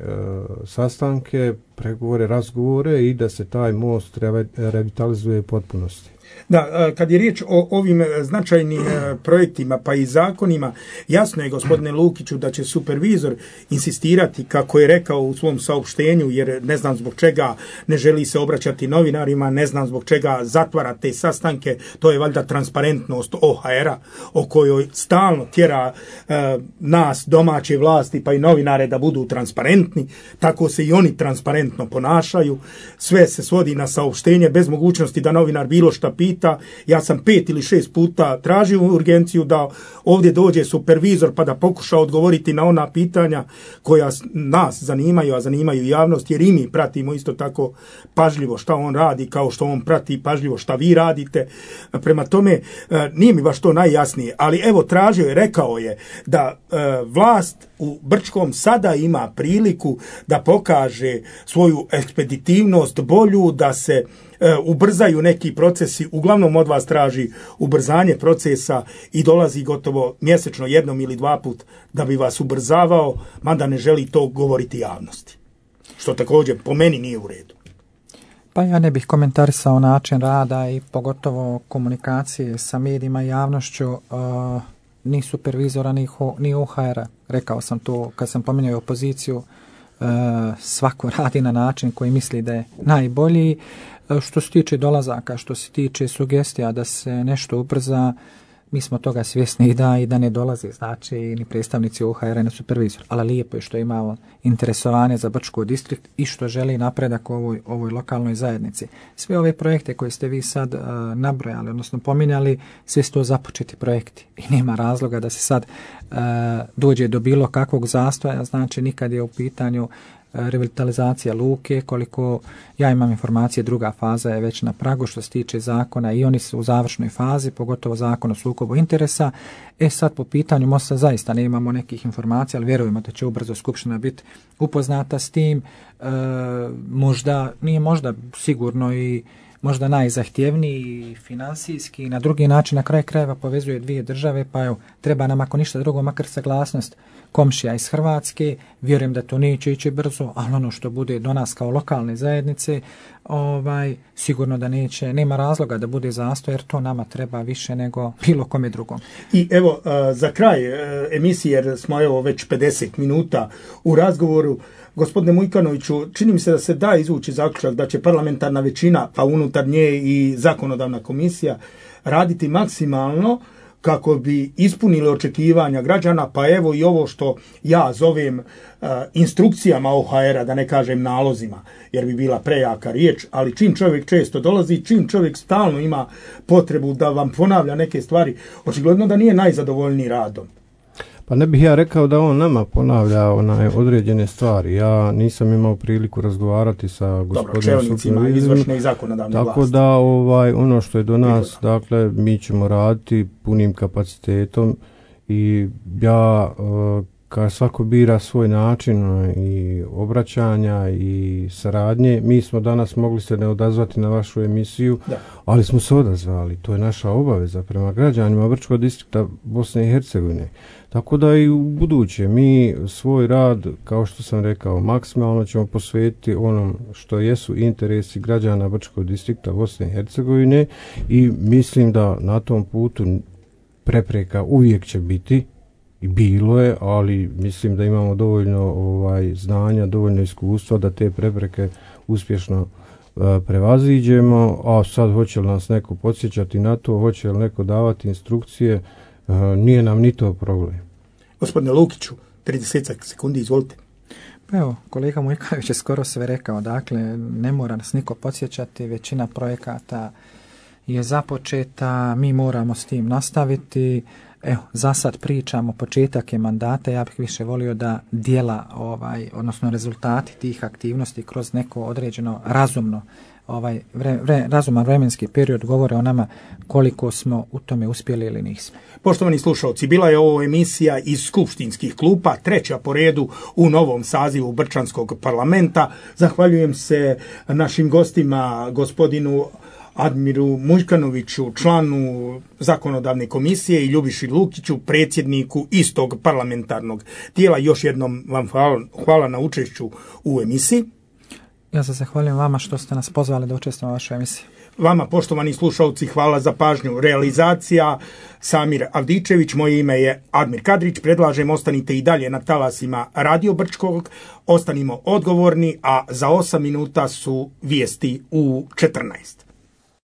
sastanke, pregovore, razgovore i da se taj most revitalizuje u potpunosti. Da, kad je riječ o ovim značajnim projektima pa i zakonima, jasno je, gospodine Lukiću, da će supervizor insistirati, kako je rekao u svom saopštenju, jer ne znam zbog čega ne želi se obraćati novinarima, ne znam zbog čega zatvara te sastanke, to je valjda transparentnost OHR-a o kojoj stalno tjera nas, domaće vlasti, pa i novinare da budu transparentni, tako se i oni transparentno ponašaju, sve se svodi na saopštenje bez mogućnosti da novinar bilo šta pita. Ja sam 5 ili 6 puta tražio urgenciju da ovdje dođe supervizor pa da pokuša odgovoriti na ona pitanja koja nas zanimaju, a zanimaju javnost, jer i mi pratimo isto tako pažljivo šta on radi, kao što on prati pažljivo šta vi radite. Prema tome, nije mi baš to najjasnije, ali evo tražio je, rekao je da vlast u Brčkom sada ima priliku da pokaže svoju ekspeditivnost bolju, da se ubrzaju neki procesi, uglavnom od vas traži ubrzanje procesa i dolazi gotovo mjesečno jednom ili dva put da bi vas ubrzavao, mada ne želi to govoriti javnosti. Što također po meni nije u redu. Pa ja ne bih komentarisao način rada i pogotovo komunikacije sa medijima i javnošću ni supervizora ni UHR-a. Rekao sam to kad sam pominjao opoziciju, svako radi na način koji misli da je najbolji. Što se tiče dolazaka, što se tiče sugestija da se nešto ubrza, mi smo toga svjesni i da ne dolazi, znači ni predstavnici UHR-a ni supervizor. Ali lijepo je što imamo interesovanje za Brčko distrikt i što želi napredak u ovoj lokalnoj zajednici. Sve ove projekte koje ste vi sad nabrojali, odnosno pominjali, sve su to započeti projekti i nema razloga da se sad dođe do bilo kakvog zastoja, znači nikad je u pitanju revitalizacija luke, koliko ja imam informacije, druga faza je već na pragu što se tiče zakona i oni su u završnoj fazi, pogotovo zakon o sukobu interesa. Sad po pitanju mosta zaista ne imamo nekih informacija, ali vjerujemo da će ubrzo Skupština biti upoznata s tim. Nije možda sigurno i možda najzahtjevniji finansijski i na drugi način na kraj krajeva povezuje dvije države, pa evo, treba nam ako ništa drugo makar saglasnost komšija iz Hrvatske. Vjerujem da to neće ići brzo, ali ono što bude do nas kao lokalne zajednice, sigurno da nema razloga da bude zastoj, jer to nama treba više nego bilo kome drugom. I evo, za kraj emisije, jer smo evo već 50 minuta u razgovoru, gospodine Mujkanoviću, čini mi se da se da izvući zaključak da će parlamentarna većina, pa unutar nje i zakonodavna komisija, raditi maksimalno kako bi ispunili očekivanja građana, pa evo i ovo što ja zovem instrukcijama OHR-a, da ne kažem nalozima, jer bi bila prejaka riječ, ali čim čovjek često dolazi, čim čovjek stalno ima potrebu da vam ponavlja neke stvari, očigledno da nije najzadovoljniji radom. Pa ne bih ja rekao da on nama ponavlja određene stvari. Ja nisam imao priliku razgovarati sa gospodinom čelnicima izvršne i zakonodavne vlasti. Tako da ono što je do nas, dakle, mi ćemo raditi punim kapacitetom i ja kad svako bira svoj način i obraćanja i saradnje, mi smo danas mogli se ne odazvati na vašu emisiju, ali smo se odazvali. To je naša obaveza prema građanima Brčkog distrikta Bosne i Hercegovine. Tako da i u buduće mi svoj rad, kao što sam rekao, maksimalno ćemo posvetiti onom što jesu interesi građana Brčkog distrikta Bosne i Hercegovine i mislim da na tom putu prepreka uvijek će biti i bilo je, ali mislim da imamo dovoljno znanja, dovoljno iskustva da te prepreke uspješno prevaziđemo, a sad hoće li nas neko podsjećati na to, hoće li neko davati instrukcije, nije nam ni to problem. Gospodine Lukiću, 30 sekundi, izvolite. Evo, kolega Mujkanović je skoro sve rekao, dakle, ne mora nas niko podsjećati, većina projekata je započeta, mi moramo s tim nastaviti. Evo, za sad pričamo, početak je mandata, ja bih više volio da djela, odnosno rezultati tih aktivnosti kroz neko određeno razumno, razuman vremenski period govore o nama koliko smo u tome uspjeli ili nismo. Poštovani slušalci, bila je ovo emisija iz skupštinskih klupa, treća po redu u novom sazivu Brčanskog parlamenta. Zahvaljujem se našim gostima, gospodinu Admiru Mujkanoviću, članu zakonodavne komisije, i Ljubiši Lukiću, predsjedniku istog parlamentarnog tijela. Još jednom vam hvala na učešću u emisiji. Ja se zahvaljujem vama što ste nas pozvali da učestvujemo u vašoj emisiji. Vama, poštovani slušalci, hvala za pažnju. Realizacija Samir Avdičević, moje ime je Admir Kadrić. Predlažem, ostanite i dalje na talasima Radio Brčkog, ostanimo odgovorni, a za 8 minuta su vijesti u 14.